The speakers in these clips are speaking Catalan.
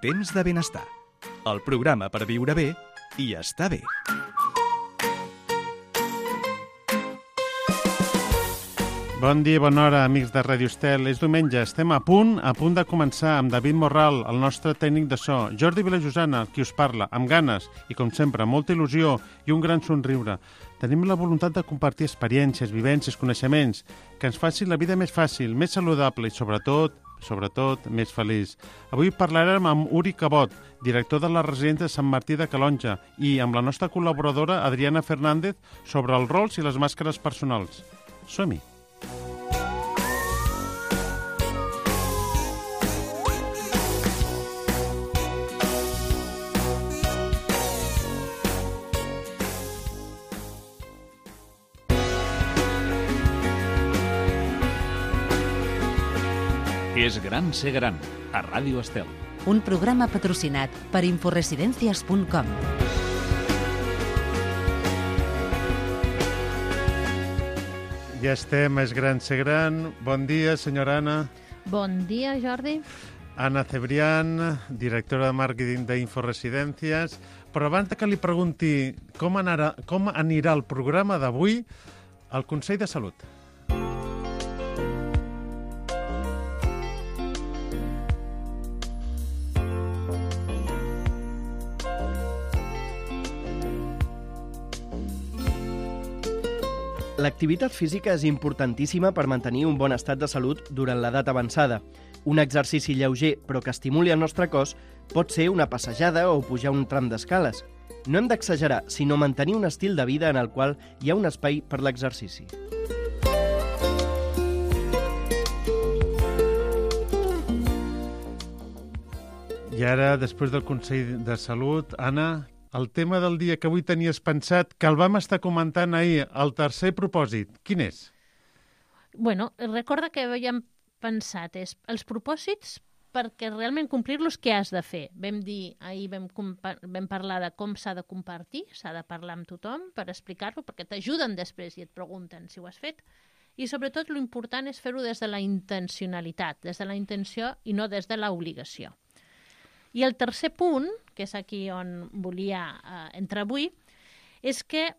Temps de benestar. El programa per viure bé i estar bé. Bon dia i bona hora, amics de Ràdio Estel. És diumenge, estem a punt de començar amb David Morral, el nostre tècnic de so, Jordi Vilajosana, qui us parla, amb ganes i, com sempre, molta il·lusió i un gran somriure. Tenim la voluntat de compartir experiències, vivències, coneixements, que ens facin la vida més fàcil, més saludable i, sobretot, més feliç. Avui parlarem amb Uri Cabot, director de la residència de Sant Martí de Calonja, i amb la nostra col·laboradora Adriana Fernández sobre els rols i les màscares personals. Som-hi! És gran ser gran, a Ràdio Estel. Un programa patrocinat per inforesidencias.com. Ja estem, és gran ser gran. Bon dia, senyora Anna. Bon dia, Jordi. Anna Cebrián, directora de màrqueting d'Inforesidències. Però abans que li pregunti com anirà el programa d'avui, el Consell de Salut. L'activitat física és importantíssima per mantenir un bon estat de salut durant l'edat avançada. Un exercici lleuger però que estimuli el nostre cos pot ser una passejada o pujar un tram d'escales. No hem d'exagerar, sinó mantenir un estil de vida en el qual hi ha un espai per l'exercici. I ara, després del Consell de Salut, Anna, el tema del dia que avui tenies pensat, que el vam estar comentant ahir, el tercer propòsit, quin és? Bueno, recorda que havíem pensat els propòsits perquè realment complir-los què has de fer. Vam dir, ahir vam parlar de com s'ha de compartir, s'ha de parlar amb tothom per explicar-lo, perquè t'ajuden després i et pregunten si ho has fet. I sobretot l'important és fer-ho des de la intencionalitat, des de la intenció i no des de l'obligació. I el tercer punt, que és aquí on volia entrar avui, és que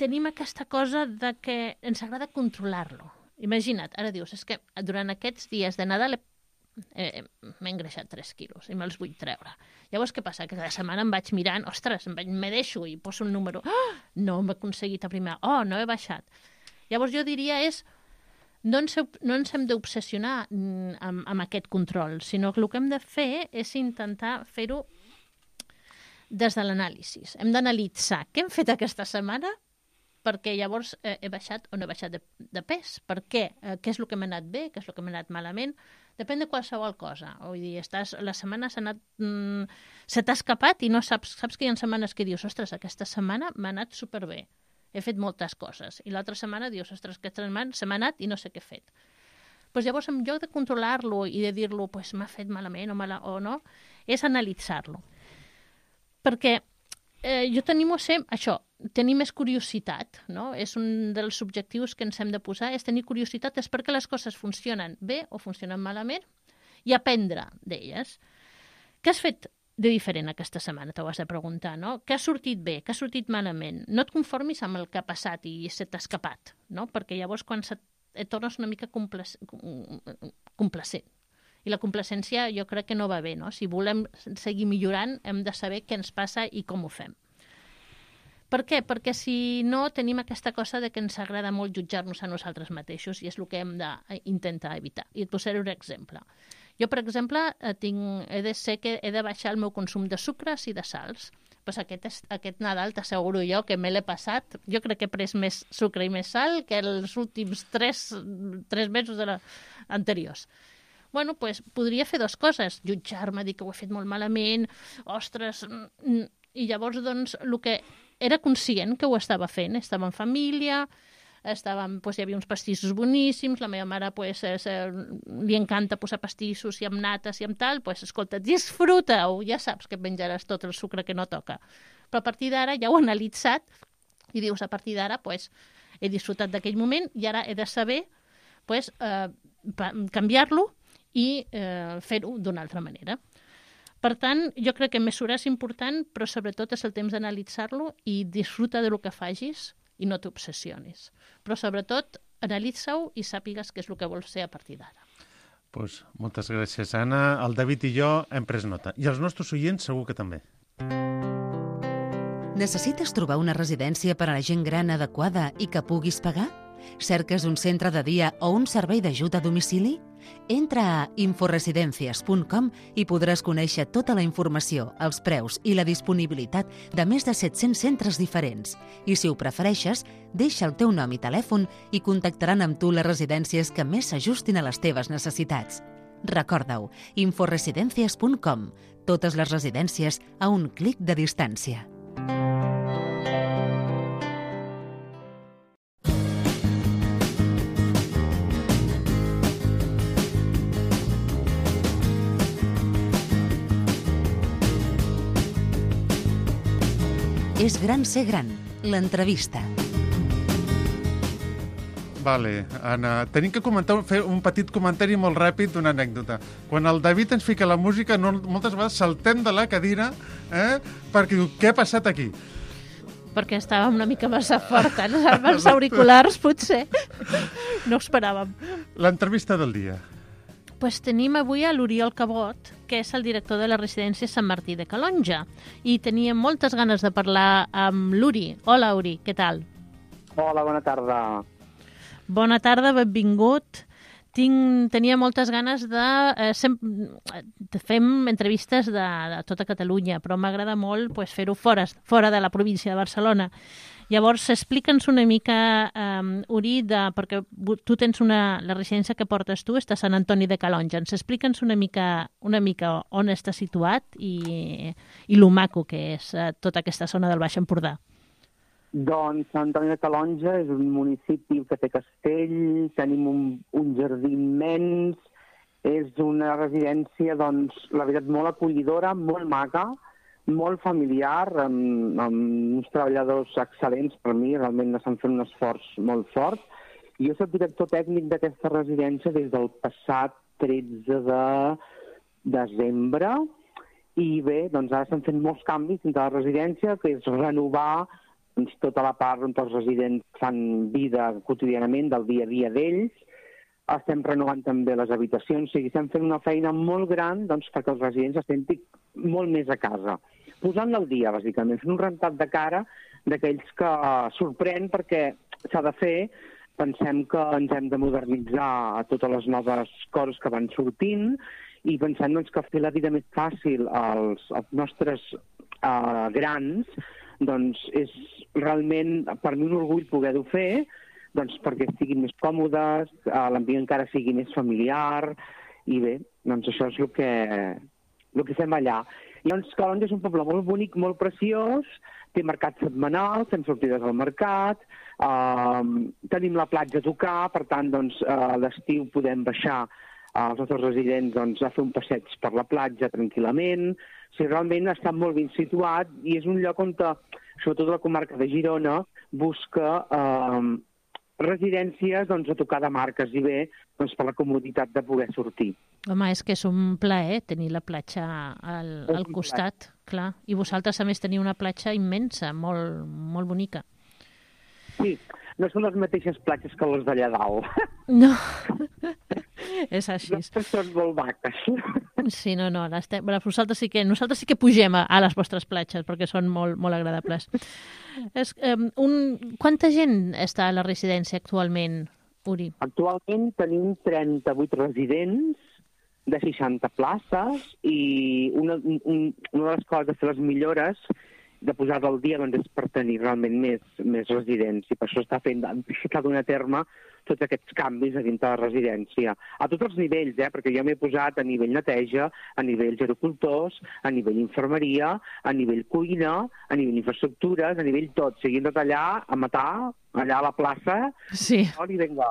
tenim aquesta cosa de que ens agrada controlar-lo. Imagina't, ara dius, és que durant aquests dies de Nadal m'he engreixat 3 quilos i me'ls vull treure. Llavors, què passa? Que cada setmana em vaig mirant, ostres, me deixo i poso un número. Oh, no hem aconseguit aprimar. Oh, no he baixat. Llavors jo diria no ens hem d'obsessionar amb aquest control, sinó que el que hem de fer és intentar fer-ho des de l'anàlisi. Hem d'analitzar què hem fet aquesta setmana perquè llavors he baixat o no he baixat de pes. Per què? Què és el que m'ha anat bé? Què és el que m'ha anat malament? Depèn de qualsevol cosa. Vull dir, la setmana se t'ha escapat i no saps que hi ha setmanes que dius, ostres, aquesta setmana m'ha anat superbé. He fet moltes coses. I l'altra setmana dius, ostres, aquesta setmana se m'ha anat i no sé què he fet. Pues llavors, en lloc de controlar-lo i de dir-lo, pues m'ha fet malament o no, és analitzar-lo. Perquè jo tenim això, tenir més curiositat, no? És un dels objectius que ens hem de posar, és tenir curiositat, és perquè les coses funcionen bé o funcionen malament i aprendre d'elles. Què has fet de diferent aquesta setmana, t'ho has de preguntar, no? Què ha sortit bé, què ha sortit malament? No et conformis amb el que ha passat i se t'ha escapat, no? Perquè llavors quan et tornes una mica complacent. I la complacència jo crec que no va bé, no? Si volem seguir millorant hem de saber què ens passa i com ho fem. Per què? Perquè si no tenim aquesta cosa de que ens agrada molt jutjar-nos a nosaltres mateixos i és el que hem d'intentar evitar. I et posaré un exemple. Jo, per exemple, he de ser que he de baixar el meu consum de sucres i de sals. Pues aquest Nadal t'asseguro jo que me l'he passat. Jo crec que he pres més sucre i més sal que els últims 3 mesos anteriors. Bueno, pues podria fer 2 coses. Jutjar-me, dir que ho he fet molt malament, ostres... I llavors, doncs, el que era conscient que ho estava fent. Estava en família, hi havia uns pastissos boníssims, la meva mare li encanta posar pastissos i amb nates i amb tal, escolta, disfruta-ho, ja saps que menjaràs tot el sucre que no toca. Però a partir d'ara ja ho he analitzat i dius, a partir d'ara he disfrutat d'aquell moment i ara he de saber canviar-lo i fer-ho d'una altra manera. Per tant, jo crec que mesurar és important, però sobretot és el temps d'analitzar-lo i disfruta del que facis i no t'obsessionis. Però sobretot, analitza-ho i sàpigues què és el que vols ser a partir d'ara. Pues, moltes gràcies, Anna. El David i jo hem pres nota. I els nostres oients segur que també. Necessites trobar una residència per a la gent gran adequada i que puguis pagar? Cerques un centre de dia o un servei d'ajut a domicili? Entra a inforesidencias.com i podràs conèixer tota la informació, els preus i la disponibilitat de més de 700 centres diferents. I si ho prefereixes, deixa el teu nom i telèfon i contactaran amb tu les residències que més s'ajustin a les teves necessitats. Recorda-ho, inforesidencias.com. Totes les residències a un clic de distància. És gran ser gran, l'entrevista. Vale, Anna, tenim que fer un petit comentari molt ràpid d'una anècdota. Quan el David ens fica la música, moltes vegades saltem de la cadira perquè diu, què ha passat aquí? Perquè estàvem una mica massa fort, amb els auriculars, potser. No ho esperàvem. L'entrevista del dia. Pues tenim avui a l'Oriol Cabot, que és el director de la residència Sant Martí de Calonja. I teníem moltes ganes de parlar amb l'Uri. Hola, Uri, què tal? Hola, bona tarda. Bona tarda, benvingut. Tenia moltes ganes de fem entrevistes de tota Catalunya, però m'agrada molt fer-ho fora de la província de Barcelona. Llavors, explica'ns una mica, Uri, perquè tu tens la residència que portes tu, està a Sant Antoni de Calonja. Explica'ns una mica on està situat i lo maco que és tota aquesta zona del Baix Empordà. Doncs Sant Antoni de Calonja és un municipi que té castell, tenim un jardí immens, és una residència, doncs, la veritat, molt acollidora, molt maca, molt familiar, amb uns treballadors excel·lents per mi, realment estan fent un esforç molt fort. Jo soc director tècnic d'aquesta residència des del passat 13 de desembre i bé, doncs ara estan fent molts canvis dintre de la residència, que és renovar tota la part on els residents fan vida quotidianament del dia a dia d'ells. Estem renovant també les habitacions, o sigui, estem fent una feina molt gran perquè els residents es sentin molt més a casa. Posant-la al dia, bàsicament, fent un rentat de cara d'aquells que sorprèn perquè s'ha de fer. Pensem que ens hem de modernitzar a totes les noves coses que van sortint i pensem que fer la vida més fàcil als nostres grans doncs és realment per mi un orgull poder-ho fer perquè siguin més còmodes, l'ambient encara sigui més familiar i bé, doncs això és el que fem allà. I doncs Calonja és un poble molt bonic, molt preciós, té mercat setmanal, fem sortides al mercat, tenim la platja a tocar, per tant, doncs, a l'estiu podem baixar els nostres residents a fer un passeig per la platja tranquil·lament. O sigui, realment està molt ben situat i és un lloc on, sobretot la comarca de Girona, busca residències a tocar de marques i bé per la comoditat de poder sortir. Home, és que és un plaer tenir la platja al costat, clar. I vosaltres, a més, teniu una platja immensa, molt, molt bonica. Sí, no són les mateixes platges que les d'allà dalt. No, és així. Nosaltres són molt maques. Sí, no, nosaltres sí que pugem a les vostres platges perquè són molt, molt agradables. Quanta gent està a la residència actualment, Uri? Actualment tenim 38 residents de 60 places i una de les coses de fer les millores de posar-la al dia és per tenir realment més residents i per això està donant a terme tots aquests canvis a dintre de la residència. A tots els nivells, perquè jo m'he posat a nivell neteja, a nivell gerocultors, a nivell infermeria, a nivell cuina, a nivell infraestructures, a nivell tot. Seguint tot allà, a matar, allà a la plaça, sí. I vinga.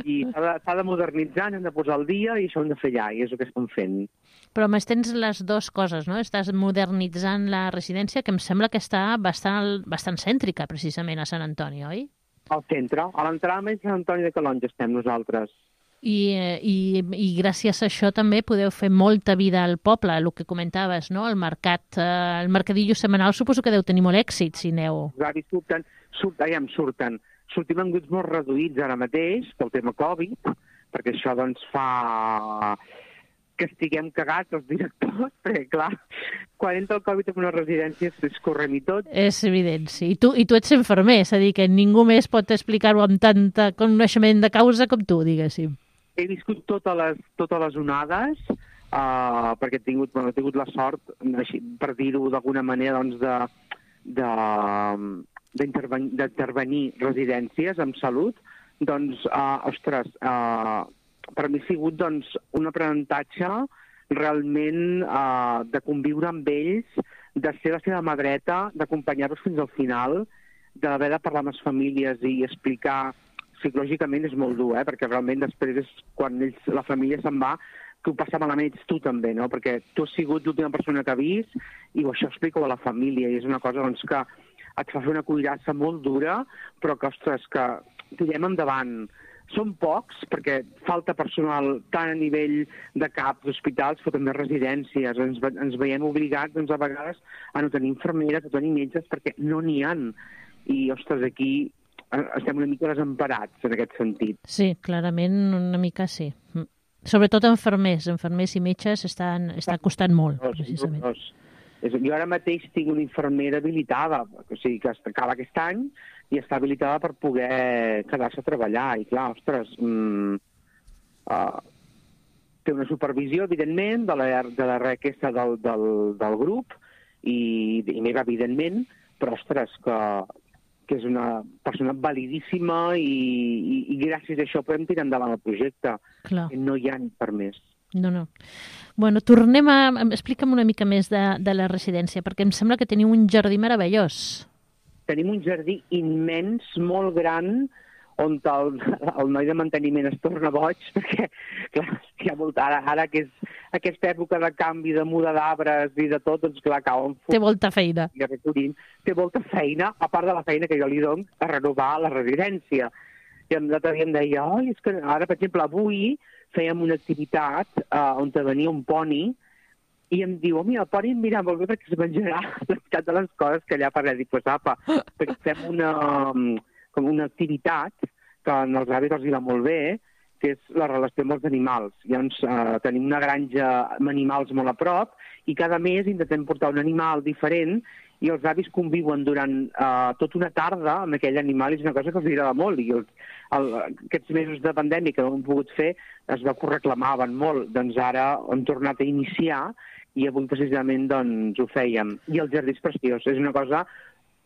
I s'ha de modernitzar, hem de posar al dia i això ho hem de fer allà, i és el que estem fent. Però més tens les dues coses, no? Estàs modernitzant la residència, que em sembla que està bastant cèntrica, precisament, a Sant Antoni, oi? Al centre, a l'entrada més Sant Antoni de Calonja estem nosaltres. I gràcies a això també podeu fer molta vida al poble, el que comentaves, no? El mercadillo setmanal suposo que deu tenir molt èxit, si aneu. Els avis surten. Sortim en grups molt reduïts ara mateix pel tema Covid, perquè això doncs fa que estiguem cagats els directors, perquè clar, quan entra el Covid en una residència es correm i tot. És evident, sí. I tu ets infermer, és a dir, que ningú més pot explicar-ho amb tant coneixement de causa com tu, diguéssim. He viscut totes les onades, perquè he tingut la sort, per dir-ho d'alguna manera, doncs, d'intervenir residències amb salut. Doncs, ostres, per mi ha sigut doncs, un aprenentatge realment de conviure amb ells, de ser la seva mà dreta, d'acompanyar-los fins al final, d'haver de parlar amb les famílies i explicar. Psicològicament és molt dur, perquè realment després és quan la família se'n va, que ho passa malament ets tu també, no? Perquè tu has sigut l'última persona que ha vist i això explica-ho a la família i és una cosa doncs, que et fa fer una cuirassa molt dura, però que, ostres, que tirem endavant. Són pocs, perquè falta personal tant a nivell de CAPs, d'hospitals, però també residències. Ens veiem obligats, doncs, a vegades, a no tenir infermeres, a tenir metges, perquè no n'hi ha. I, ostres, aquí estem una mica desemparats, en aquest sentit. Sí, clarament, una mica sí. Sobretot infermers i metges està costant molt, precisament. Jo ara mateix tinc una infermera habilitada, o sigui, que acaba aquest any i està habilitada per poder quedar-se a treballar. I clar, ostres, té una supervisió, evidentment, de la requesta del grup i meva, evidentment, però, ostres, que és una persona validíssima i gràcies a això podem tirar endavant el projecte. Clar. No hi ha per més. No. Bueno, explica'm una mica més de la residència, perquè em sembla que teniu un jardí meravellós. Tenim un jardí immens, molt gran, on el noi de manteniment es torna boig, perquè, clar, hi ha molt, ara que és aquesta època de canvi, de muda d'arbres i de tot, doncs clar, cauen... Té molta feina. Té molta feina, a part de la feina que jo li dono a renovar la residència. I l'altre dia em deia, és que ara, per exemple, avui fèiem una activitat on venia un poni i em diu, mira, el poni em mira molt bé perquè es menjarà la meitat de les coses que allà parlem. Dic, pues apa, perquè fem una activitat que als avis els va molt bé, que és la relació amb els animals. Llavors tenim una granja amb animals molt a prop i cada mes intentem portar un animal diferent i els avis conviuen durant tota una tarda amb aquell animal i és una cosa que els agrada molt. I aquests mesos de pandèmia que no hem pogut fer es va que ho reclamaven molt. Doncs ara hem tornat a iniciar i avui precisament doncs, ho fèiem. I el jardí és preciós. És una cosa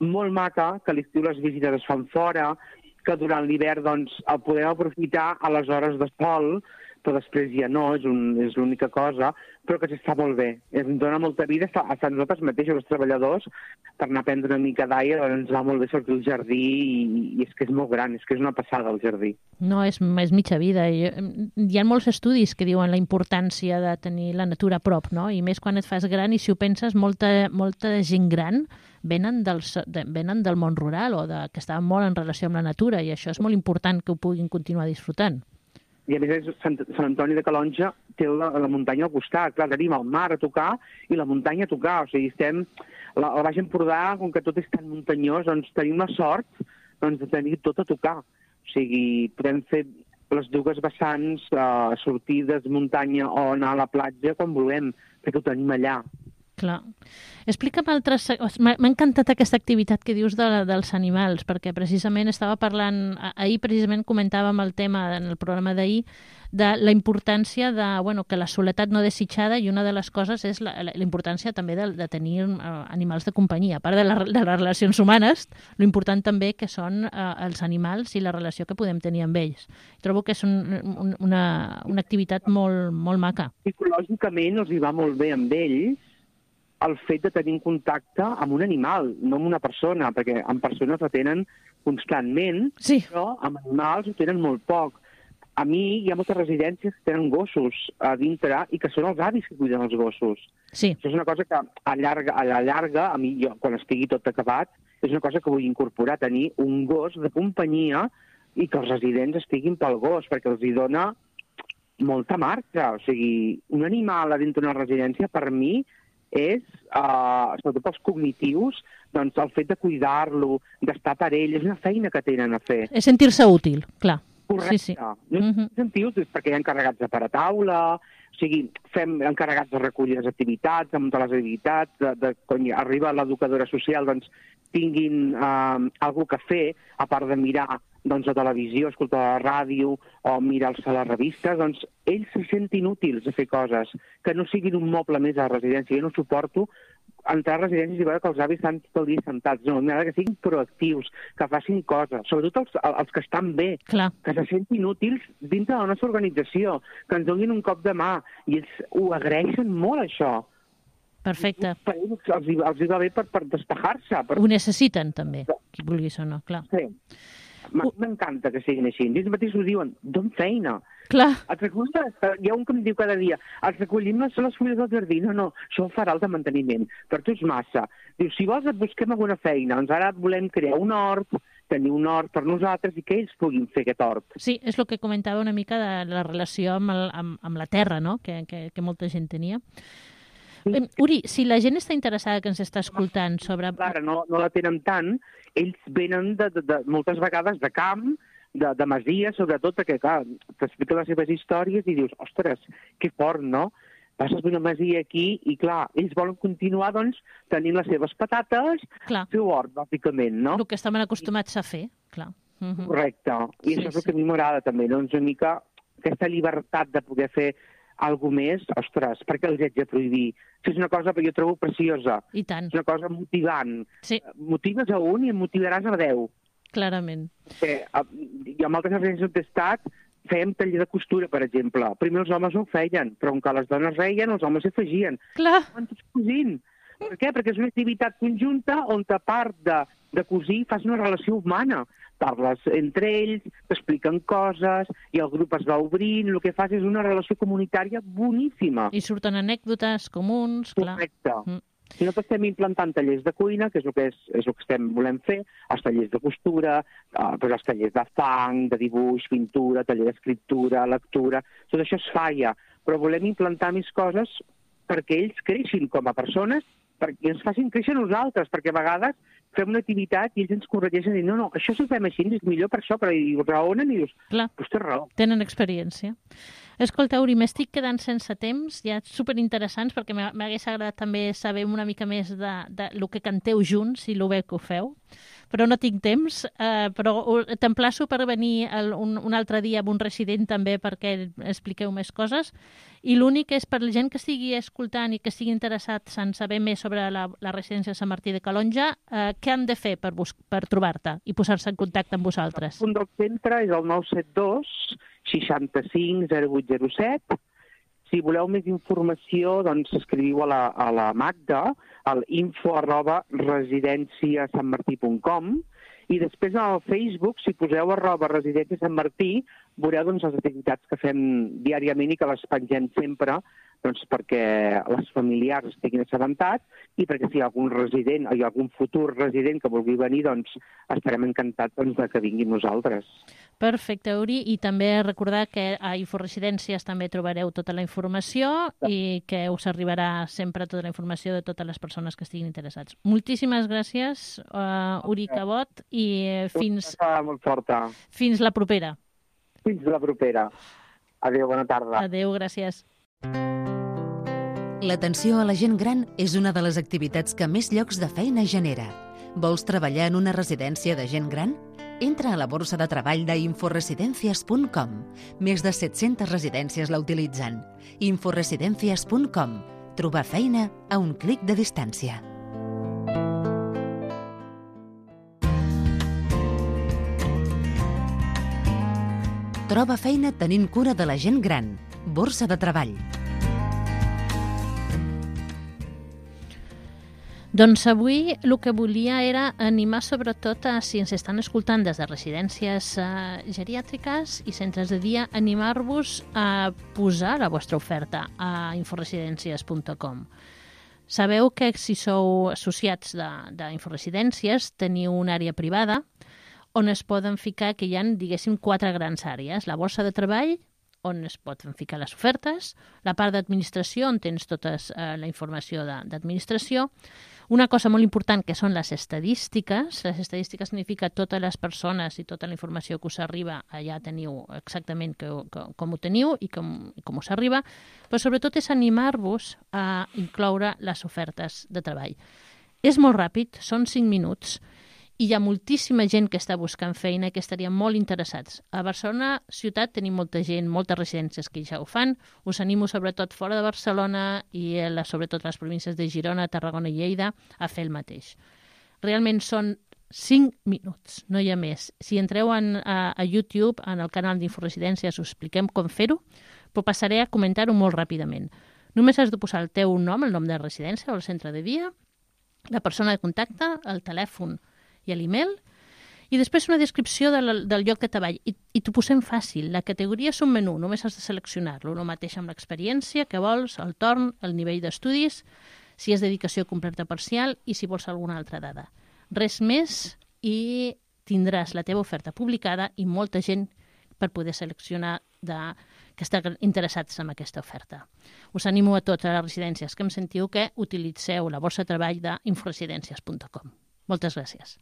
molt maca, que a l'estiu les visites es fan fora, que durant l'hivern doncs, el podem aprofitar a les hores de sol, però després ja no, és l'única cosa, però que s'està molt bé. Ens dona molta vida a nosaltres mateixos, els treballadors, per anar a prendre una mica d'aire, ens va molt bé sortir al jardí i és que és molt gran, és que és una passada el jardí. No, és mitja vida. Hi ha molts estudis que diuen la importància de tenir la natura a prop, no? I més quan et fas gran i si ho penses, molta gent gran venen del món rural o que estaven molt en relació amb la natura i això és molt important que ho puguin continuar disfrutant. I a més Sant Antoni de Calonge té la muntanya al costat. Clar, tenim el mar a tocar i la muntanya a tocar. O sigui, estem... Al Baix Empordà, com que tot és tan muntanyós, doncs tenim la sort de tenir tot a tocar. O sigui, podem fer les dues vessants, sortides, muntanya o anar a la platja quan volem, perquè ho tenim allà. Clar. Explica'm altres... M'ha encantat aquesta activitat que dius dels animals, perquè precisament estava parlant... Ahir precisament comentàvem el tema en el programa d'ahir de la importància que la soledat no desitjada i una de les coses és la importància també de tenir animals de companyia. A part de les relacions humanes, l'important també que són els animals i la relació que podem tenir amb ells. Trobo que és una activitat molt, molt maca. Psicològicament els hi va molt bé amb ells el fet de tenir contacte amb un animal, no amb una persona, perquè amb persones ho tenen constantment, sí. Però amb animals ho tenen molt poc. A mi hi ha moltes residències que tenen gossos a dintre i que són els avis que cuiden els gossos. Sí. Això és una cosa que a la llarga, a mi, jo, quan estigui tot acabat, és una cosa que vull incorporar, tenir un gos de companyia i que els residents estiguin pel gos, perquè els hi dona molta marxa. O sigui, un animal a dintre d'una residència, per mi, és, sobretot pels cognitius, doncs el fet de cuidar-lo, d'estar per ell, és una feina que tenen a fer. És sentir-se útil, clar. Correcte. Sí. No sentiu, perquè hi ha encarregats de parar taula, o sigui, fem encarregats de recollir les activitats, de muntar les activitats, quan arriba l'educadora social, doncs tinguin alguna que fer, a part de mirar doncs, la televisió, escoltar la ràdio o mirar-se a les revistes, doncs ells se sentin útils a fer coses, que no siguin un moble més a la residència. Jo no suporto entrar a residències i veure que els avis estan tot el dia sentats. No, m'agrada que siguin proactius, que facin coses, sobretot els que estan bé, Clar. que se sentin útils dintre de la nostra organització, que ens donin un cop de mà, i ells ho agraeixen molt, això. Perfecte. Per ells els hi va bé per despejar-se. Ho necessiten, també, qui vulguis o no, clar. Sí. M'encanta que siguin així. Ells mateixos ho diuen, don feina. Clar. Hi ha un que em diu cada dia, els recollim les fulles del jardí. No, això ho farà el de manteniment. Per tu és massa. Diu, si vols et busquem alguna feina. Doncs ara volem crear un hort, tenir un hort per nosaltres i que ells puguin fer aquest hort. Sí, és el que comentava una mica de la relació amb la terra, no?, que molta gent tenia. Uri, si la gent està interessada, que ens està escoltant sobre... Clar, no la tenen tant. Ells venen de moltes vegades de camp, de masia, sobretot, perquè, clar, t'expliquen les seves històries i dius, ostres, que fort, no? Passes d'una masia aquí i, clar, ells volen continuar, doncs, tenint les seves patates, seu hort, bàsicament, no? El que estaven acostumats a fer, clar. Correcte. I això és el que a mi m'agrada, també, doncs, una mica aquesta llibertat de poder fer alguna més, ostres, perquè els haig de prohibir? És una cosa que jo trobo preciosa. I tant. És una cosa motivant. Sí. Motives a un i em motivaràs a 10. Clarament. Jo amb altres residències on he estat fèiem taller de costura, per exemple. Primer els homes no ho feien, però com que les dones reien, els homes s'hi afegien. Clar. Van tots cosint. Per què? Perquè és una activitat conjunta on, a part de cosir, fas una relació humana. Parles entre ells, t'expliquen coses, i el grup es va obrint, el que fas és una relació comunitària boníssima. I surten anècdotes comuns, clar. Correcte. Si no estem implantant tallers de cuina, que és el que volem fer, els tallers de costura, els tallers de fang, de dibuix, pintura, taller d'escriptura, lectura, tot això es falla, però volem implantar més coses perquè ells creixin com a persones, perquè ens facin créixer nosaltres, perquè a vegades fem una activitat i ells ens corregeixen i no, això si ho fem així és millor per això, però ho raonen i dius, doncs té raó. Tenen experiència. Escolta, Uri, m'estic quedant sense temps, ja superinteressants, perquè m'hagués agradat també saber una mica més de lo que canteu junts i lo bé que ho feu, però no tinc temps, però t'emplaço per venir un altre dia amb un resident també perquè expliqueu més coses, i l'únic és per la gent que estigui escoltant i que estigui interessats en saber més sobre la residència de Sant Martí de Calonge, què han de fer per trobar-te i posar-se en contacte amb vosaltres? El punt del centre és el 972 65 0807. Si voleu més informació, doncs escriviu a la Magda, al info@residenciasanmartí.com, i després al Facebook, si poseu @residència Sant Martí, veureu doncs, les activitats que fem diàriament i que les pengem sempre, doncs, perquè les familiars estiguin assabentats i perquè si hi ha algun resident o hi ha algun futur resident que vulgui venir, doncs estarem encantats de que vinguin nosaltres. Perfecte, Uri, i també recordar que a Inforesidències també trobareu tota la informació i que us arribarà sempre tota la informació de totes les persones que estiguin interessats. Moltíssimes gràcies, Uri Cabot, i fins la propera. Fins la propera. Adéu, bona tarda. Adéu, gràcies. L'atenció a la gent gran és una de les activitats que més llocs de feina genera. Vols treballar en una residència de gent gran? Entra a la borsa de treball d'inforesidencias.com. Més de 700 residències la utilitzen. Inforesidencias.com. Trobar feina a un clic de distància. Troba feina tenint cura de la gent gran. Borsa de treball. Doncs avui el que volia era animar sobretot a, si ens estan escoltant des de residències geriàtriques i centres de dia, animar-vos a posar la vostra oferta a inforesidències.com. Sabeu que si sou associats d'Inforesidències teniu una àrea privada on es poden ficar, que hi ha, diguéssim, 4 grans àrees: la borsa de treball, on es poden ficar les ofertes, la part d'administració, on tens tota la informació d'administració. Una cosa molt important que són les estadístiques. Les estadístiques significa totes les persones i tota la informació que us arriba, allà teniu exactament com ho teniu i com us arriba, però sobretot és animar-vos a incloure les ofertes de treball. És molt ràpid, són 5 minuts, i hi ha moltíssima gent que està buscant feina i que estarien molt interessats. A Barcelona ciutat tenim molta gent, moltes residències que ja ho fan. Us animo sobretot fora de Barcelona i sobretot les províncies de Girona, Tarragona i Lleida a fer el mateix. Realment són 5 minuts, no hi ha més. Si entreu a YouTube, en el canal d'Inforesidències, us expliquem com fer-ho, però passaré a comentar-ho molt ràpidament. Només has de posar el teu nom, el nom de residència o el centre de dia, la persona de contacte, el telèfon i l'email, i després una descripció del lloc de treball. I t'ho posem fàcil. La categoria és un menú, només has de seleccionar-lo. El mateix amb l'experiència que vols, el torn, el nivell d'estudis, si és dedicació completa parcial i si vols alguna altra dada. Res més i tindràs la teva oferta publicada i molta gent per poder seleccionar que estan interessats en aquesta oferta. Us animo a tots a les residències que em sentiu que utilitzeu la borsa de treball d'inforesidències.com. Moltes gràcies.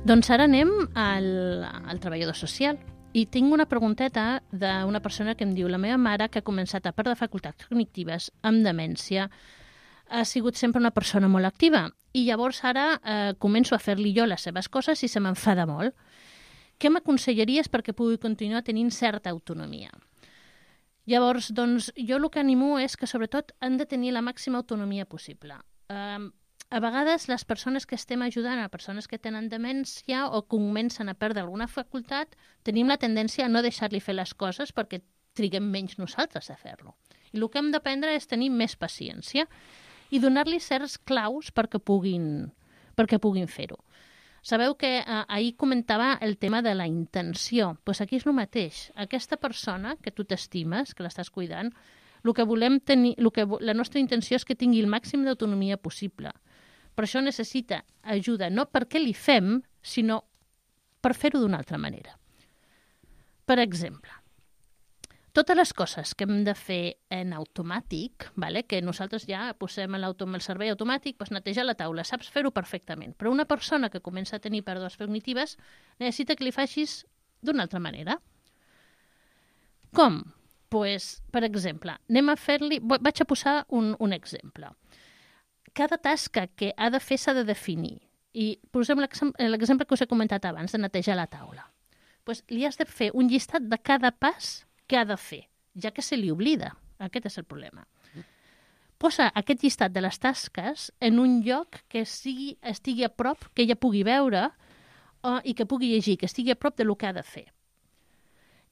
Doncs ara anem al treballador social. I tinc una pregunteta d'una persona que em diu: la meva mare, que ha començat a perdre facultats cognitives amb demència, ha sigut sempre una persona molt activa i llavors ara començo a fer-li jo les seves coses i se m'enfada molt. Què m'aconsellaries perquè pugui continuar tenint certa autonomia? Llavors, doncs, jo el que animo és que sobretot han de tenir la màxima autonomia possible. A vegades les persones que estem ajudant a persones que tenen demència o que comencen a perdre alguna facultat, tenim la tendència a no deixar-li fer les coses perquè triguem menys nosaltres a fer-lo. I el que hem d'aprendre és tenir més paciència i donar-li certs claus perquè puguin fer-ho. Sabeu que ahir comentava el tema de la intenció. Doncs aquí és el mateix. Aquesta persona que tu t'estimes, que l'estàs cuidant, la nostra intenció és que tingui el màxim d'autonomia possible. Per això necessita ajuda, no perquè li fem, sinó per fer-ho d'una altra manera. Per exemple, totes les coses que hem de fer en automàtic, que nosaltres ja posem el servei automàtic, netejar la taula, saps fer-ho perfectament. Però una persona que comença a tenir pèrdues cognitives necessita que li facis d'una altra manera. Com? Per exemple, vaig a posar un exemple. Cada tasca que ha de fer s'ha de definir. I posem l'exemple que us he comentat abans, de netejar la taula. Li has de fer un llistat de cada pas que ha de fer, ja que se li oblida. Aquest és el problema. Posa aquest llistat de les tasques en un lloc que estigui a prop, que ella pugui veure i que pugui llegir, que estigui a prop del que ha de fer.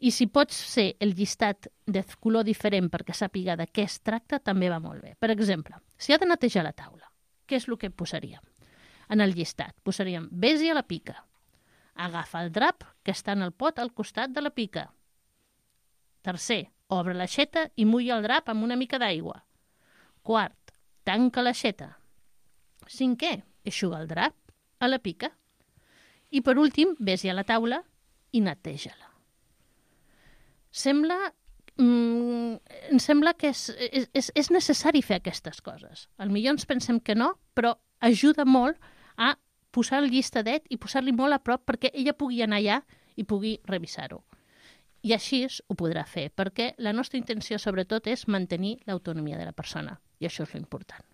I si pots ser el llistat de color diferent perquè sàpiga de què es tracta, també va molt bé. Per exemple, si ha de netejar la taula, què és el que posaríem? En el llistat posaríem: vés-hi a la pica. Agafa el drap que està en el pot al costat de la pica. Tercer, obre l'aixeta i mulla el drap amb una mica d'aigua. Quart, tanca l'aixeta. Cinquè, eixuga el drap a la pica. I per últim, vés-hi a la taula i neteja-la. Em sembla que és necessari fer aquestes coses. Potser ens pensem que no, però ajuda molt a posar el llistadet i posar-li molt a prop perquè ella pugui anar allà i pugui revisar-ho. I així ho podrà fer, perquè la nostra intenció sobretot és mantenir l'autonomia de la persona, i això és l'important.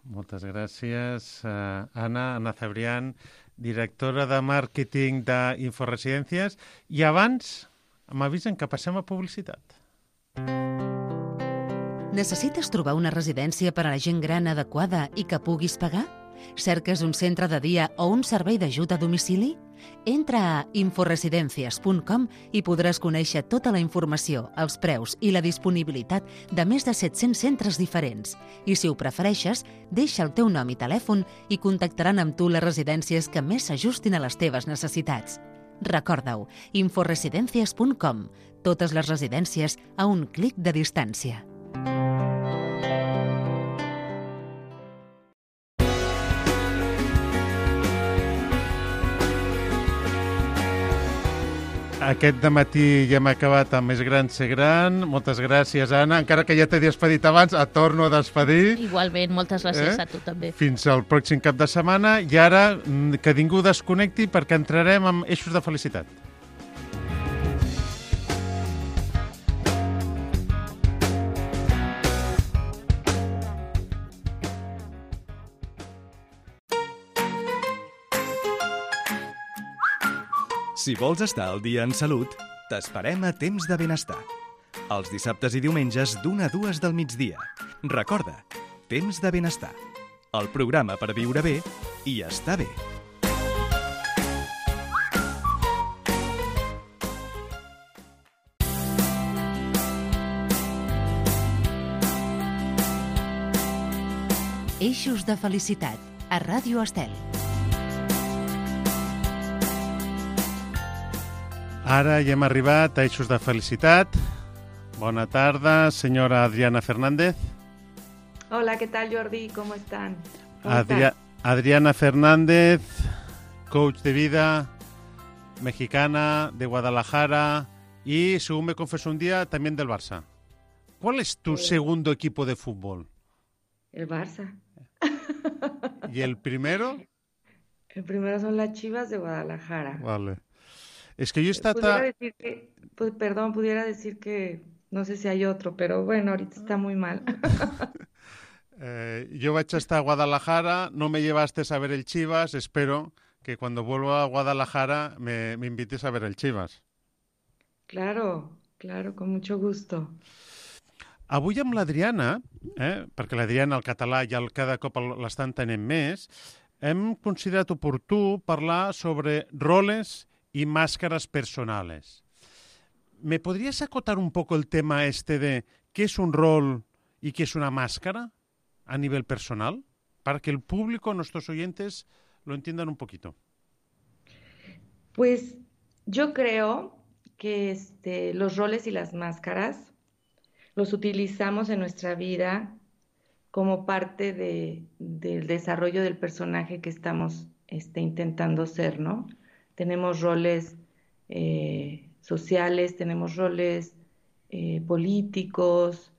Moltes gràcies, Anna Cebrián, directora de màrqueting d'Inforesidències. I abans m'avisen que passem a publicitat. Necessites trobar una residència per a la gent gran adequada i que puguis pagar? Cerques un centre de dia o un servei d'ajut a domicili? Entra a inforesidències.com i podràs conèixer tota la informació, els preus i la disponibilitat de més de 700 centres diferents. I si ho prefereixes, deixa el teu nom i telèfon i contactaran amb tu les residències que més s'ajustin a les teves necessitats. Recorda-ho, inforesidències.com. Totes les residències a un clic de distància. Aquest dematí ja hem acabat amb Més gran ser gran. Moltes gràcies, Anna. Encara que ja t'he despedit abans, et torno a despedir. Igualment, moltes gràcies a tu també. Fins al pròxim cap de setmana. I ara, que ningú desconnecti perquè entrarem amb eixos de felicitat. Si vols estar al dia en salut, t'esperem a Temps de Benestar. Els dissabtes i diumenges d'1 a 2 del migdia. Recorda, Temps de Benestar. El programa per viure bé i estar bé. Eixos de felicitat, a Ràdio Estel. Ara ja hem arribat a Eixos de felicitat. Bona tarda, senyora Adriana Fernández. Hola, ¿qué tal, Jordi? ¿Cómo están? Adriana Fernández, coach de vida, mexicana, de Guadalajara y, según me confesó un día, también del Barça. ¿Cuál es tu segundo equipo de fútbol? El Barça. ¿Y el primero? El primero son las Chivas de Guadalajara. Vale. Es que yo pudiera decir que no sé si hay otro, pero bueno, ahorita está muy mal. Yo vaig estar a Guadalajara, no me llevaste a ver el Chivas, espero que cuando vuelva a Guadalajara me invites a ver el Chivas. Claro, con mucho gusto. Avui amb l'Adriana, perquè l'Adriana, el català, ja cada cop l'està entenent més, hem considerat oportú parlar sobre roles y máscaras personales. ¿Me podrías acotar un poco el tema de qué es un rol y qué es una máscara a nivel personal? Para que el público, nuestros oyentes, lo entiendan un poquito. Pues yo creo que los roles y las máscaras los utilizamos en nuestra vida como parte del desarrollo del personaje que estamos intentando ser, ¿no? Tenemos roles sociales, tenemos roles políticos,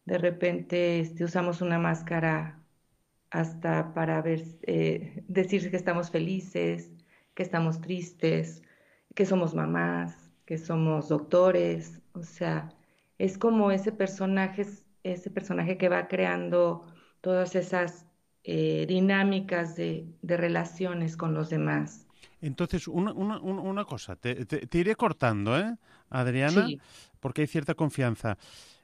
de repente usamos una máscara hasta para decir que estamos felices, que estamos tristes, que somos mamás, que somos doctores, o sea, es como ese personaje que va creando todas esas dinámicas de relaciones con los demás. Entonces, una cosa, te iré cortando, Adriana, sí, porque hay cierta confianza.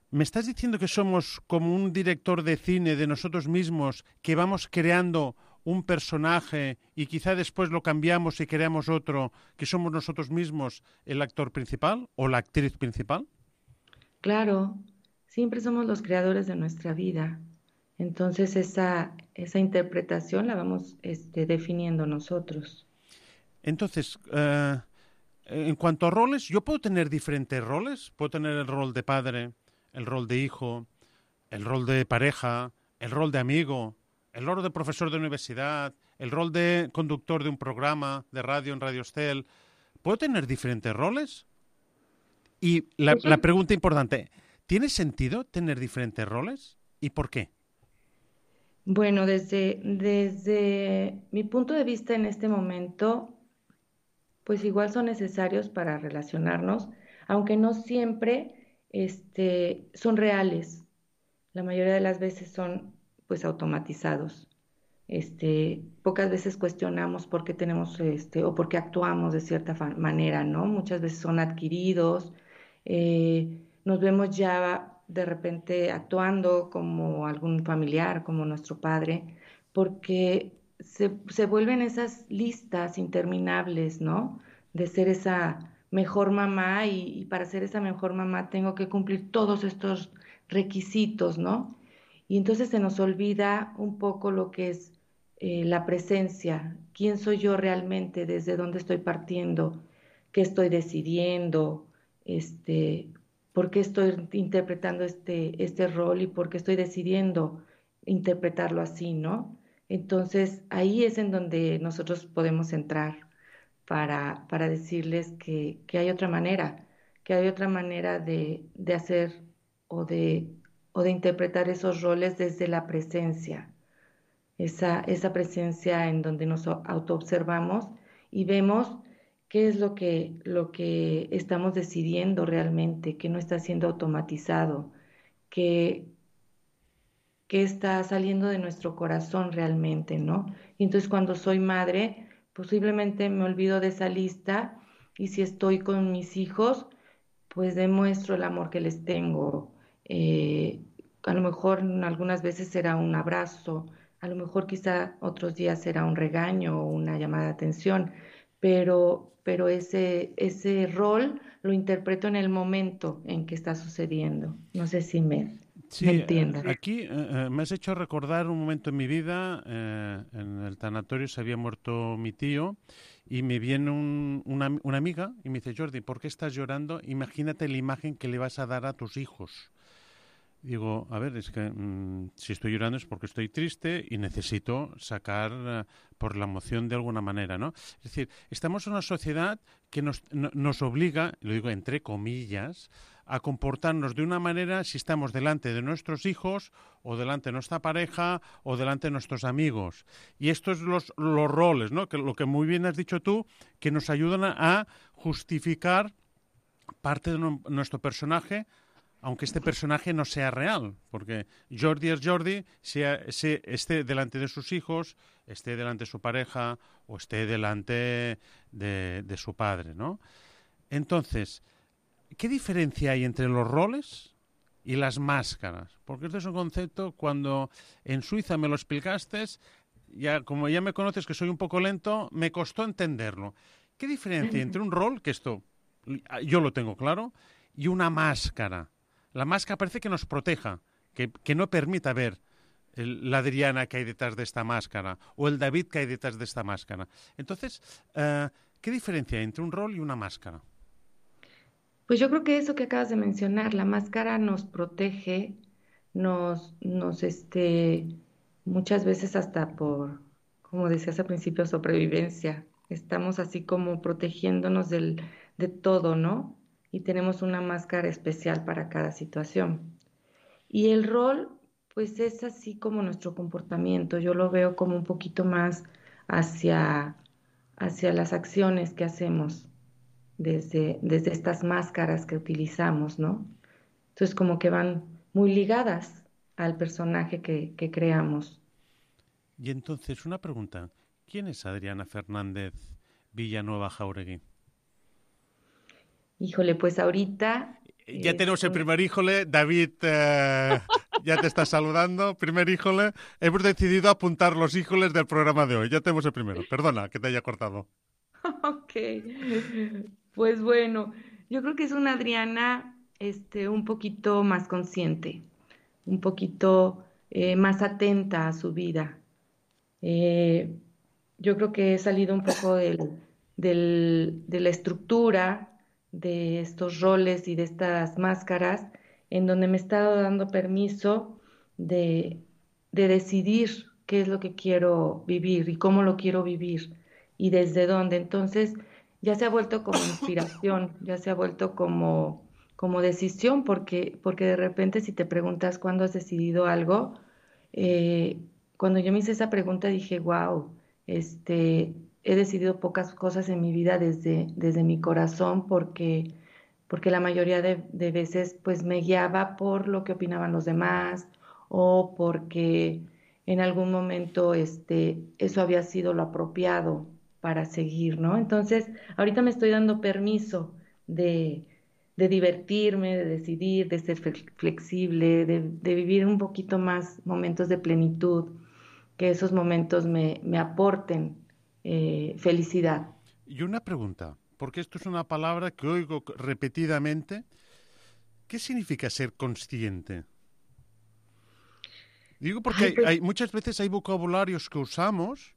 ¿Me estás diciendo que somos como un director de cine de nosotros mismos, que vamos creando un personaje y quizá después lo cambiamos y creamos otro, que somos nosotros mismos el actor principal o la actriz principal? Claro, siempre somos los creadores de nuestra vida. Entonces esa interpretación la vamos definiendo nosotros. Entonces, en cuanto a roles, ¿yo puedo tener diferentes roles? ¿Puedo tener el rol de padre, el rol de hijo, el rol de pareja, el rol de amigo, el rol de profesor de universidad, el rol de conductor de un programa de radio en Radio Estel? ¿Puedo tener diferentes roles? Y la pregunta importante, ¿tiene sentido tener diferentes roles? ¿Y por qué? Bueno, desde mi punto de vista en este momento, pues igual son necesarios para relacionarnos, aunque no siempre son reales. La mayoría de las veces son pues automatizados. Pocas veces cuestionamos por qué tenemos o por qué actuamos de cierta manera, ¿no? Muchas veces son adquiridos. Nos vemos ya de repente actuando como algún familiar, como nuestro padre, porque se vuelven esas listas interminables, ¿no? De ser esa mejor mamá y para ser esa mejor mamá tengo que cumplir todos estos requisitos, ¿no? Y entonces se nos olvida un poco lo que es la presencia, quién soy yo realmente, desde dónde estoy partiendo, qué estoy decidiendo, por qué estoy interpretando este rol y por qué estoy decidiendo interpretarlo así, ¿no? Entonces ahí es en donde nosotros podemos entrar, para decirles que hay otra manera, de hacer o de interpretar esos roles desde la presencia, esa presencia en donde nos autoobservamos y vemos qué es lo que estamos decidiendo realmente, que no está siendo automatizado, que está saliendo de nuestro corazón realmente, ¿no? Y entonces cuando soy madre, posiblemente me olvido de esa lista y si estoy con mis hijos, pues demuestro el amor que les tengo. A lo mejor algunas veces será un abrazo, a lo mejor quizá otros días será un regaño o una llamada de atención, pero ese rol lo interpreto en el momento en que está sucediendo. No sé si me entiendan. Aquí me has hecho recordar un momento en mi vida. En el tanatorio se había muerto mi tío y me viene una amiga y me dice: Jordi, ¿por qué estás llorando? Imagínate la imagen que le vas a dar a tus hijos. Digo, a ver, es que si estoy llorando es porque estoy triste y necesito sacar por la emoción de alguna manera, ¿no? Es decir, estamos en una sociedad que nos obliga, lo digo entre comillas, a comportarnos de una manera si estamos delante de nuestros hijos o delante de nuestra pareja o delante de nuestros amigos. Y estos son los roles, ¿no? Que lo que muy bien has dicho tú, que nos ayudan a justificar parte de nuestro personaje, aunque este personaje no sea real, porque Jordi es Jordi, esté delante de sus hijos, esté delante de su pareja o esté delante de su padre, ¿no? Entonces, ¿qué diferencia hay entre los roles y las máscaras? Porque este es un concepto, cuando en Suiza me lo explicaste, como ya me conoces que soy un poco lento, me costó entenderlo. ¿Qué diferencia hay entre un rol, que esto yo lo tengo claro, y una máscara? La máscara parece que nos proteja, que no permita ver la Adriana que hay detrás de esta máscara o el David que hay detrás de esta máscara. Entonces, ¿qué diferencia hay entre un rol y una máscara? Pues yo creo que eso que acabas de mencionar, la máscara nos protege, muchas veces hasta por, como decías al principio, sobrevivencia. Estamos así como protegiéndonos de todo, ¿no? Y tenemos una máscara especial para cada situación. Y el rol, pues es así como nuestro comportamiento. Yo lo veo como un poquito más hacia las acciones que hacemos desde estas máscaras que utilizamos, ¿no? Entonces como que van muy ligadas al personaje que creamos. Y entonces, una pregunta. ¿Quién es Adriana Fernández Villanueva Jáuregui? Híjole, pues ahorita... Ya tenemos el primer híjole. David ya te está saludando. Primer híjole. Hemos decidido apuntar los híjoles del programa de hoy. Ya tenemos el primero. Perdona que te haya cortado. Ok. Pues bueno, yo creo que es una Adriana un poquito más consciente, un poquito más atenta a su vida. Yo creo que he salido un poco de la estructura de estos roles y de estas máscaras, en donde me he estado dando permiso de decidir qué es lo que quiero vivir y cómo lo quiero vivir y desde dónde. Entonces ya se ha vuelto como inspiración, ya se ha vuelto como decisión, porque de repente si te preguntas cuándo has decidido algo, cuando yo me hice esa pregunta dije, wow, he decidido pocas cosas en mi vida desde mi corazón porque la mayoría de veces pues me guiaba por lo que opinaban los demás o porque en algún momento eso había sido lo apropiado para seguir, ¿no? Entonces, ahorita me estoy dando permiso de divertirme, de decidir, de ser flexible, de vivir un poquito más momentos de plenitud, que esos momentos me aporten felicidad. Y una pregunta, porque esto es una palabra que oigo repetidamente. ¿Qué significa ser consciente? Digo porque muchas veces hay vocabularios que usamos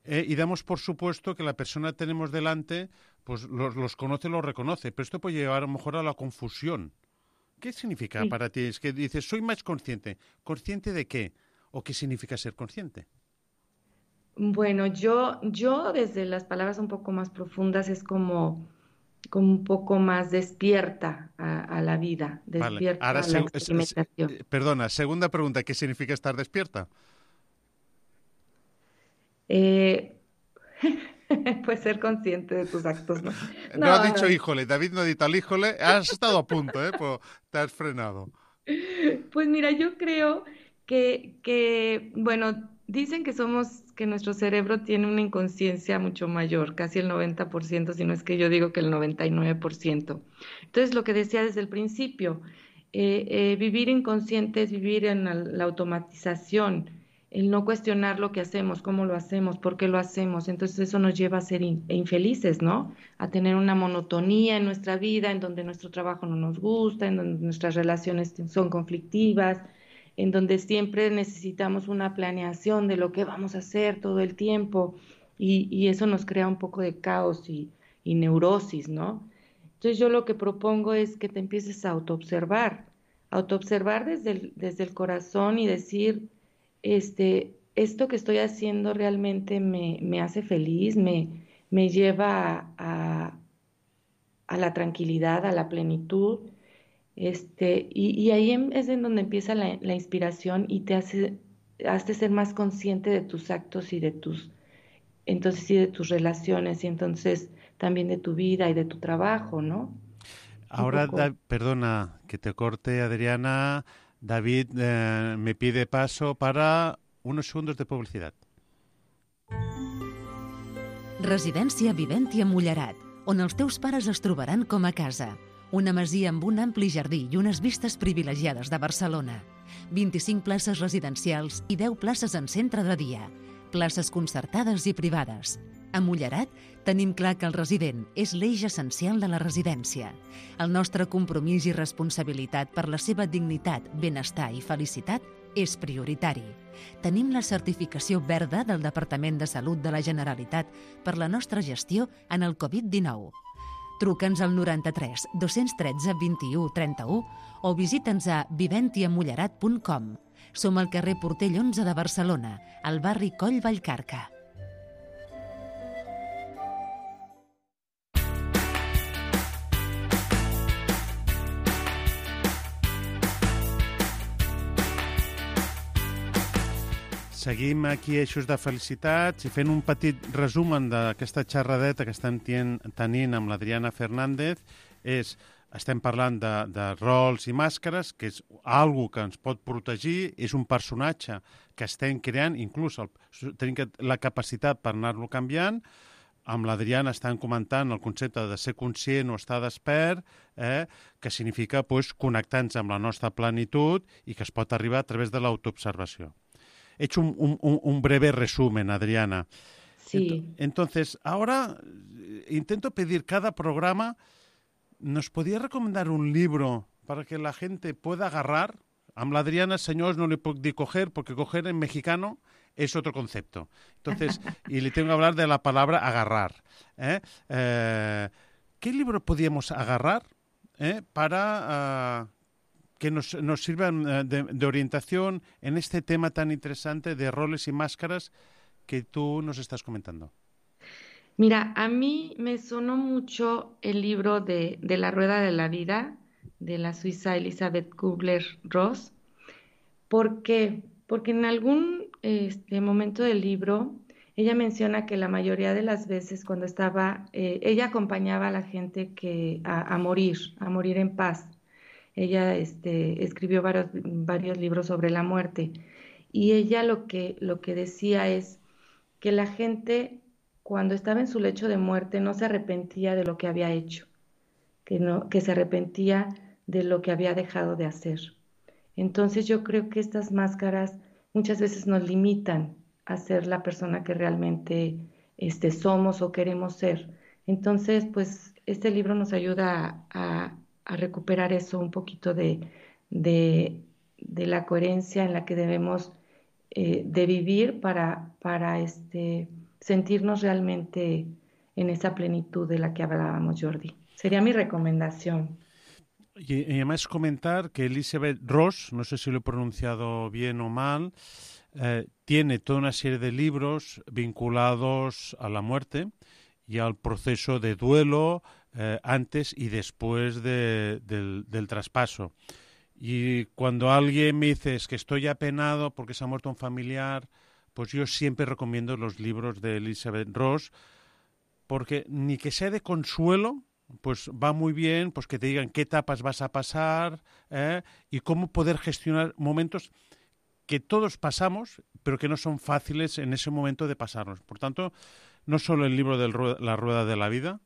y damos por supuesto que la persona que tenemos delante pues los conoce, los reconoce, pero esto puede llevar a lo mejor a la confusión. ¿Qué significa para ti? Es que dices, soy más consciente. ¿Consciente de qué? ¿O qué significa ser consciente? Bueno, yo desde las palabras un poco más profundas es como un poco más despierta a la vida, Vale. despierta Ahora, a la experimentación. perdona, segunda pregunta, ¿qué significa estar despierta? Eh, pues ser consciente de tus actos, ¿no? No ha No, dicho no. híjole, David no ha dicho al híjole, has estado a punto, pero te has frenado. Pues mira, yo creo bueno, dicen que nuestro cerebro tiene una inconsciencia mucho mayor, casi el 90%, si no es que yo digo que el 99%. Entonces, lo que decía desde el principio, vivir inconsciente es vivir en la automatización, el no cuestionar lo que hacemos, cómo lo hacemos, por qué lo hacemos. Entonces, eso nos lleva a ser infelices, ¿no? A tener una monotonía en nuestra vida, en donde nuestro trabajo no nos gusta, en donde nuestras relaciones son conflictivas, en donde siempre necesitamos una planeación de lo que vamos a hacer todo el tiempo, y eso nos crea un poco de caos y neurosis, ¿no? Entonces yo lo que propongo es que te empieces a autoobservar desde el corazón y decir, esto que estoy haciendo realmente me hace feliz, me lleva a la tranquilidad, a la plenitud, y ahí es en donde empieza la inspiración y te hace ser más consciente de tus actos entonces sí, de tus relaciones y entonces también de tu vida y de tu trabajo, ¿no? Un Ahora, poco. perdona que te corte, Adriana. David me pide paso para unos segundos de publicidad. Residència Viventi a Mullerat, on els teus pares es trobaran com a casa. Una masia amb un ampli jardí i unes vistes privilegiades de Barcelona. 25 places residencials i 10 places en centre de dia. Places concertades i privades. A Mullerat tenim clar que el resident és l'eix essencial de la residència. El nostre compromís i responsabilitat per la seva dignitat, benestar i felicitat és prioritari. Tenim la certificació verda del Departament de Salut de la Generalitat per la nostra gestió en el Covid-19. Truca'ns al 93 213 21 31 o visita'ns a viventiamullerat.com. Som al carrer Portell 11 de Barcelona, al barri Coll Vallcarca. Seguim aquí a Eixos de Felicitats i fent un petit resumen d'aquesta xerradeta que estem tenint amb l'Adriana Fernández. Estem parlant de rols i màscares, que és algo que ens pot protegir, és un personatge que estem creant, inclús tenim la capacitat per anar-lo canviant. Amb l'Adriana estem comentant el concepte de ser conscient o estar despert, que significa connectar-nos amb la nostra plenitud i que es pot arribar a través de l'autoobservació. He hecho un breve resumen, Adriana. Sí. Entonces, ahora intento pedir cada programa. ¿Nos podría recomendar un libro para que la gente pueda agarrar? A la Adriana, señores, no le puedo decir coger, porque coger en mexicano es otro concepto. Entonces, y le tengo que hablar de la palabra agarrar. ¿Qué libro podríamos agarrar para que nos sirvan de orientación en este tema tan interesante de roles y máscaras que tú nos estás comentando? Mira, a mí me sonó mucho el libro de La Rueda de la Vida, de la suiza Elizabeth Kubler-Ross. ¿Por qué? Porque en algún momento del libro ella menciona que la mayoría de las veces cuando ella acompañaba a la gente a morir en paz. Ella escribió varios libros sobre la muerte y ella lo que decía es que la gente cuando estaba en su lecho de muerte no se arrepentía de lo que había hecho, que se arrepentía de lo que había dejado de hacer. Entonces yo creo que estas máscaras muchas veces nos limitan a ser la persona que realmente somos o queremos ser. Entonces, pues este libro nos ayuda a recuperar eso, un poquito de la coherencia en la que debemos de vivir para sentirnos realmente en esa plenitud de la que hablábamos, Jordi. Sería mi recomendación. Y además comentar que Elizabeth Ross, no sé si lo he pronunciado bien o mal, tiene toda una serie de libros vinculados a la muerte y al proceso de duelo antes y después del traspaso. Y cuando alguien me dice es que estoy apenado porque se ha muerto un familiar, pues yo siempre recomiendo los libros de Elizabeth Ross, porque ni que sea de consuelo, pues va muy bien pues que te digan qué etapas vas a pasar y cómo poder gestionar momentos que todos pasamos, pero que no son fáciles en ese momento de pasarlos. Por tanto, no solo el libro de La Rueda de la Vida,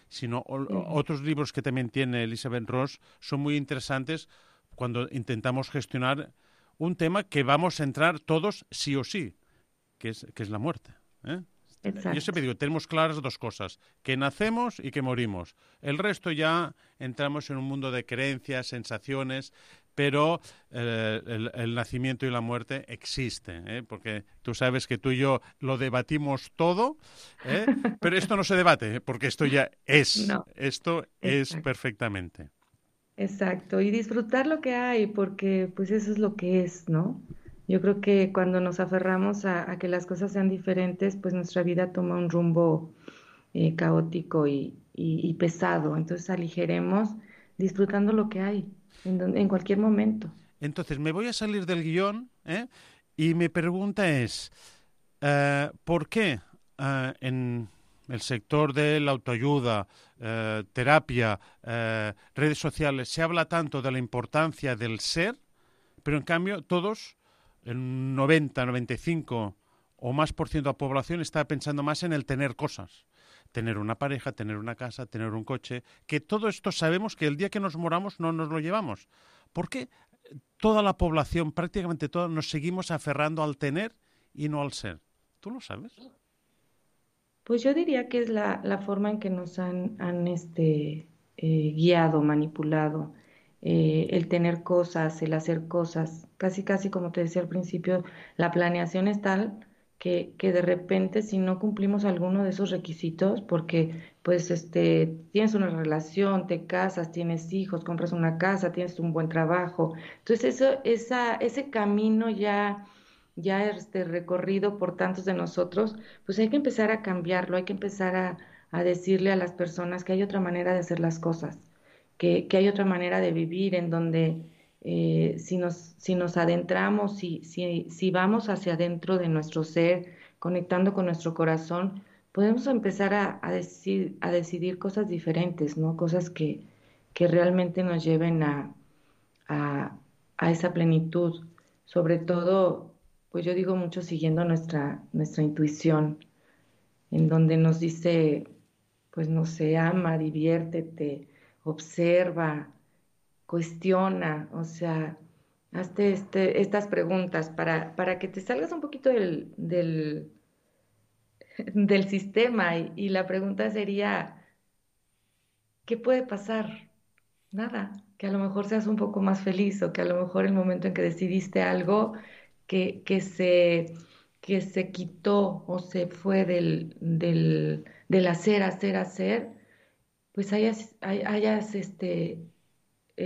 sino otros libros que también tiene Elizabeth Ross son muy interesantes cuando intentamos gestionar un tema que vamos a entrar todos sí o sí, que es la muerte. Yo siempre digo, tenemos claras dos cosas, que nacemos y que morimos. El resto ya entramos en un mundo de creencias, sensaciones, pero el nacimiento y la muerte existen, porque tú sabes que tú y yo lo debatimos todo, pero esto no se debate, porque esto ya es, No, esto es perfectamente. exacto, y disfrutar lo que hay, porque pues eso es lo que es, ¿no? Yo creo que cuando nos aferramos a que las cosas sean diferentes, pues nuestra vida toma un rumbo caótico y pesado. Entonces aligeremos disfrutando lo que hay en cualquier momento. Entonces, me voy a salir del guión, y mi pregunta es, ¿por qué en el sector de la autoayuda, terapia, redes sociales, se habla tanto de la importancia del ser, pero en cambio todos, el 90, 95 o más por ciento de la población está pensando más en el tener cosas? Tener una pareja, tener una casa, tener un coche, que todo esto sabemos que el día que nos moramos no nos lo llevamos. ¿Por qué toda la población, prácticamente toda, nos seguimos aferrando al tener y no al ser? ¿Tú lo sabes? Pues yo diría que es la forma en que nos han guiado, manipulado, el tener cosas, el hacer cosas. Casi, casi como te decía al principio, la planeación es tal que de repente si no cumplimos alguno de esos requisitos, porque pues tienes una relación, te casas, tienes hijos, compras una casa, tienes un buen trabajo. Entonces ese camino ya recorrido por tantos de nosotros, pues hay que empezar a cambiarlo, hay que empezar a decirle a las personas que hay otra manera de hacer las cosas, que hay otra manera de vivir en donde si nos adentramos, si vamos hacia adentro de nuestro ser, conectando con nuestro corazón, podemos empezar a decidir cosas diferentes, ¿no? Cosas que realmente nos lleven a, a esa plenitud. Sobre todo, pues yo digo mucho siguiendo nuestra intuición, en donde nos dice, pues no sé, ama, diviértete, observa, cuestiona, o sea, hazte estas preguntas para que te salgas un poquito del sistema y la pregunta sería, ¿qué puede pasar? Nada, que a lo mejor seas un poco más feliz o que a lo mejor el momento en que decidiste algo que, que se, que se quitó o se fue del hacer, pues hayas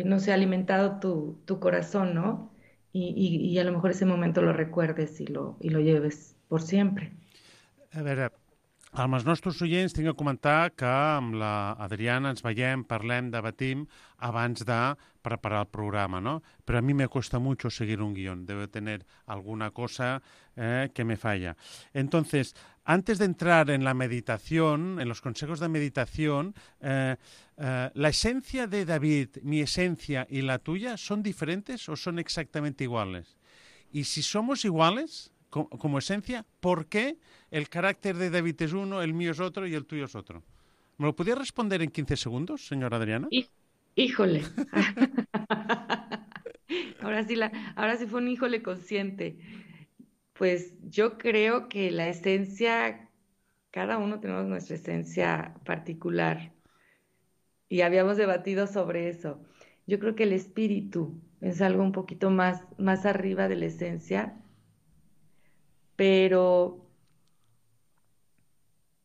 no sé, alimentado tu corazón, ¿no? Y a lo mejor ese momento lo recuerdes y lo lleves por siempre. A veure, amb els nostres oients tinc que comentar que amb la Adriana ens veiem, parlem, debatim abans de preparar el programa, ¿no? Pero a mí me cuesta mucho seguir un guión. Debo tener alguna cosa que me falla. Entonces, antes de entrar en la meditación, en los consejos de meditación, ¿la esencia de David, mi esencia y la tuya son diferentes o son exactamente iguales? Y si somos iguales como esencia, ¿por qué el carácter de David es uno, el mío es otro y el tuyo es otro? ¿Me lo podría responder en 15 segundos, señora Adriana? Híjole. Ahora sí fue un híjole consciente. Pues yo creo que la esencia, cada uno tenemos nuestra esencia particular y habíamos debatido sobre eso. Yo creo que el espíritu es algo un poquito más arriba de la esencia, pero...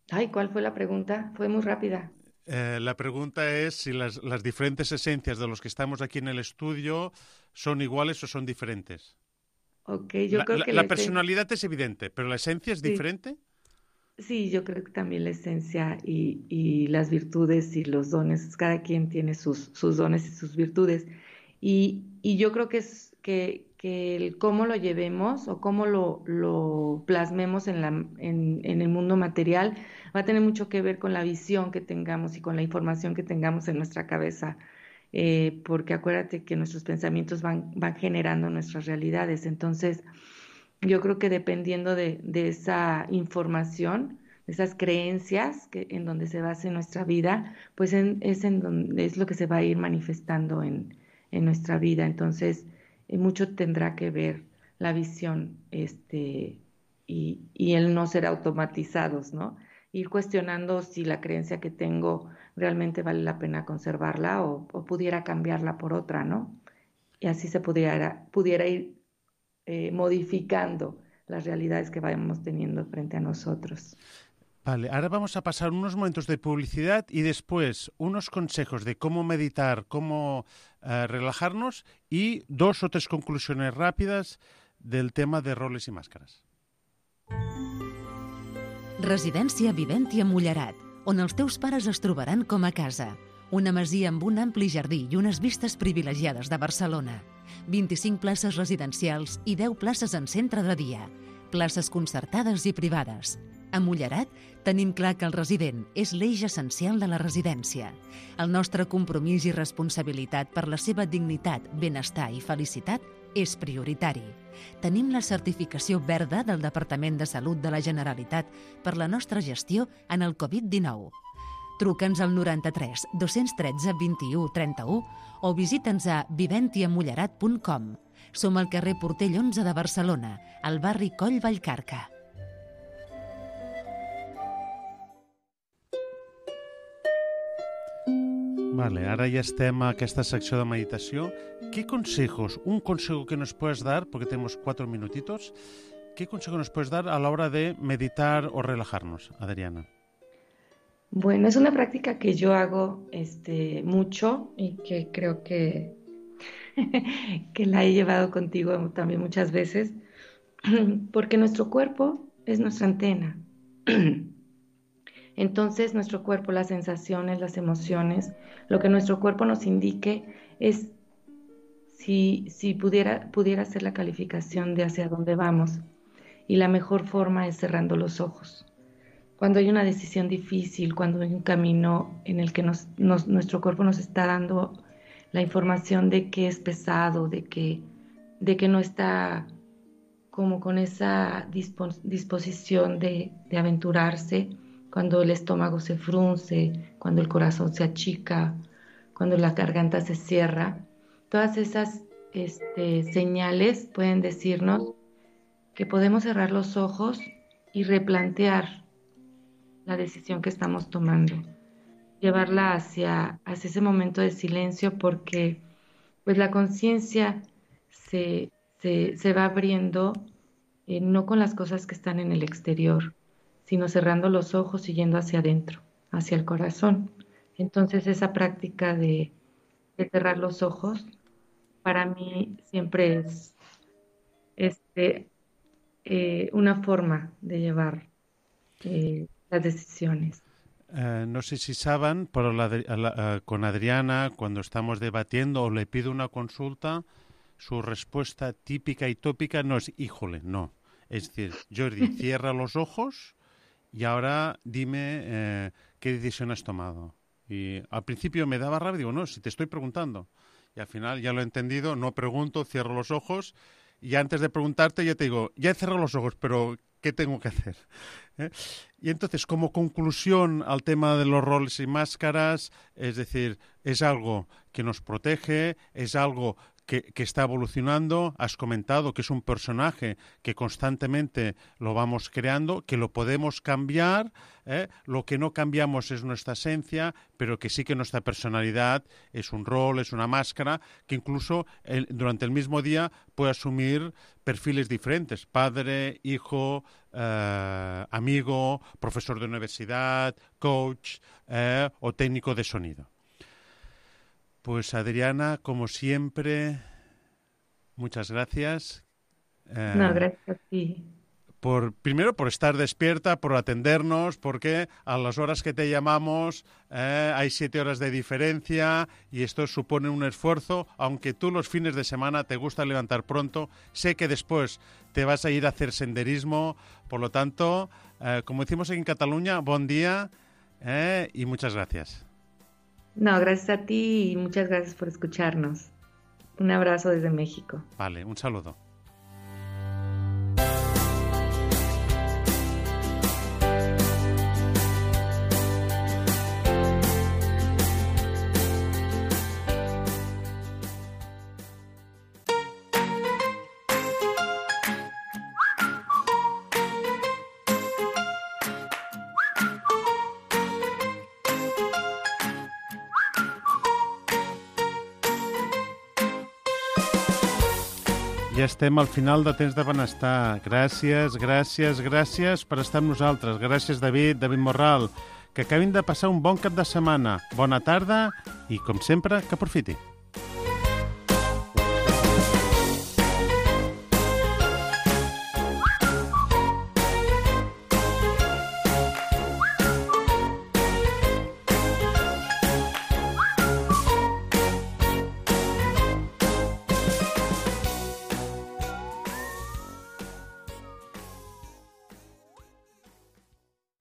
Ay, ¿cuál fue la pregunta? Fue muy rápida. La pregunta es si las diferentes esencias de los que estamos aquí en el estudio son iguales o son diferentes. Ok, yo creo que La personalidad es evidente, pero ¿la esencia es sí, diferente? sí, yo creo que también la esencia y las virtudes y los dones, cada quien tiene sus dones y sus virtudes. Y yo creo que es que el cómo lo llevemos o cómo lo plasmemos en el mundo material va a tener mucho que ver con la visión que tengamos y con la información que tengamos en nuestra cabeza. Porque acuérdate que nuestros pensamientos van generando nuestras realidades. Entonces, yo creo que dependiendo de esa información, de esas creencias en donde se base nuestra vida, pues es lo que se va a ir manifestando en nuestra vida. Entonces, mucho tendrá que ver la visión, y el no ser automatizados, ¿no? Ir cuestionando si la creencia que tengo realmente vale la pena conservarla o pudiera cambiarla por otra, ¿no? Y así se pudiera ir modificando las realidades que vayamos teniendo frente a nosotros. Vale, ahora vamos a pasar unos momentos de publicidad y después unos consejos de cómo meditar, cómo relajarnos y 2 o 3 conclusiones rápidas del tema de roles i màscares. Residència Viventi a Mullerat, on els teus pares es trobaran com a casa. Una masia amb un ampli jardí i unes vistes privilegiades de Barcelona. 25 places residencials i 10 places en centre de dia. Places concertades i privades. A Mullerat tenim clar que el resident és l'eix essencial de la residència. El nostre compromís i responsabilitat per la seva dignitat, benestar i felicitat és prioritari. Tenim la certificació verda del Departament de Salut de la Generalitat per la nostra gestió en el Covid-19. Truca'ns al 93 213 21 31 o visita'ns a viventiamullerat.com. Som al carrer Portell 11 de Barcelona, al barri Coll Vallcarca. Vale, ahora ya estem a aquesta secció de meditació. ¿Qué consejos, un consejo que nos puedes dar, porque tenemos 4 minutitos, qué consejo nos puedes dar a la hora de meditar o relajarnos, Adriana? Bueno, es una práctica que yo hago mucho y que creo que, que la he llevado contigo también muchas veces, porque nuestro cuerpo es nuestra antena. Entonces, nuestro cuerpo, las sensaciones, las emociones, lo que nuestro cuerpo nos indique es si pudiera ser la calificación de hacia dónde vamos. Y la mejor forma es cerrando los ojos. Cuando hay una decisión difícil, cuando hay un camino en el que nuestro cuerpo nos está dando la información de que es pesado, de que no está como con esa disposición de aventurarse, cuando el estómago se frunce, cuando el corazón se achica, cuando la garganta se cierra. Todas esas señales pueden decirnos que podemos cerrar los ojos y replantear la decisión que estamos tomando, llevarla hacia ese momento de silencio, porque pues la conciencia se va abriendo no con las cosas que están en el exterior, sino cerrando los ojos y yendo hacia adentro, hacia el corazón. Entonces esa práctica de cerrar los ojos para mí siempre es una forma de llevar las decisiones. No sé si saben, pero con Adriana, cuando estamos debatiendo o le pido una consulta, su respuesta típica y tópica no es híjole, no. Es decir, Jordi, cierra los ojos y ahora dime qué decisión has tomado. Y al principio me daba rabia, digo, no, si te estoy preguntando. Y al final ya lo he entendido, no pregunto, cierro los ojos y antes de preguntarte ya te digo, ya he cerrado los ojos, pero ¿qué tengo que hacer? Y entonces, como conclusión al tema de los roles y máscaras, es decir, es algo que nos protege, es algo que está evolucionando. Has comentado que es un personaje que constantemente lo vamos creando, que lo podemos cambiar. Lo que no cambiamos es nuestra esencia, pero que sí que nuestra personalidad es un rol, es una máscara, que incluso durante el mismo día puede asumir perfiles diferentes: padre, hijo, amigo, profesor de universidad, coach o técnico de sonido. Pues Adriana, como siempre, muchas gracias. No, gracias a ti. Primero por estar despierta, por atendernos, porque a las horas que te llamamos hay 7 horas de diferencia y esto supone un esfuerzo. Aunque tú los fines de semana te gusta levantar pronto, sé que después te vas a ir a hacer senderismo. Por lo tanto, como decimos en Cataluña, buen día y muchas gracias. No, gracias a ti y muchas gracias por escucharnos. Un abrazo desde México. Vale, un saludo. Ja estem al final de Temps de Benestar. Gràcies per estar amb nosaltres. Gràcies, David Morral. Que acabin de passar un bon cap de setmana. Bona tarda i, com sempre, que aprofiti.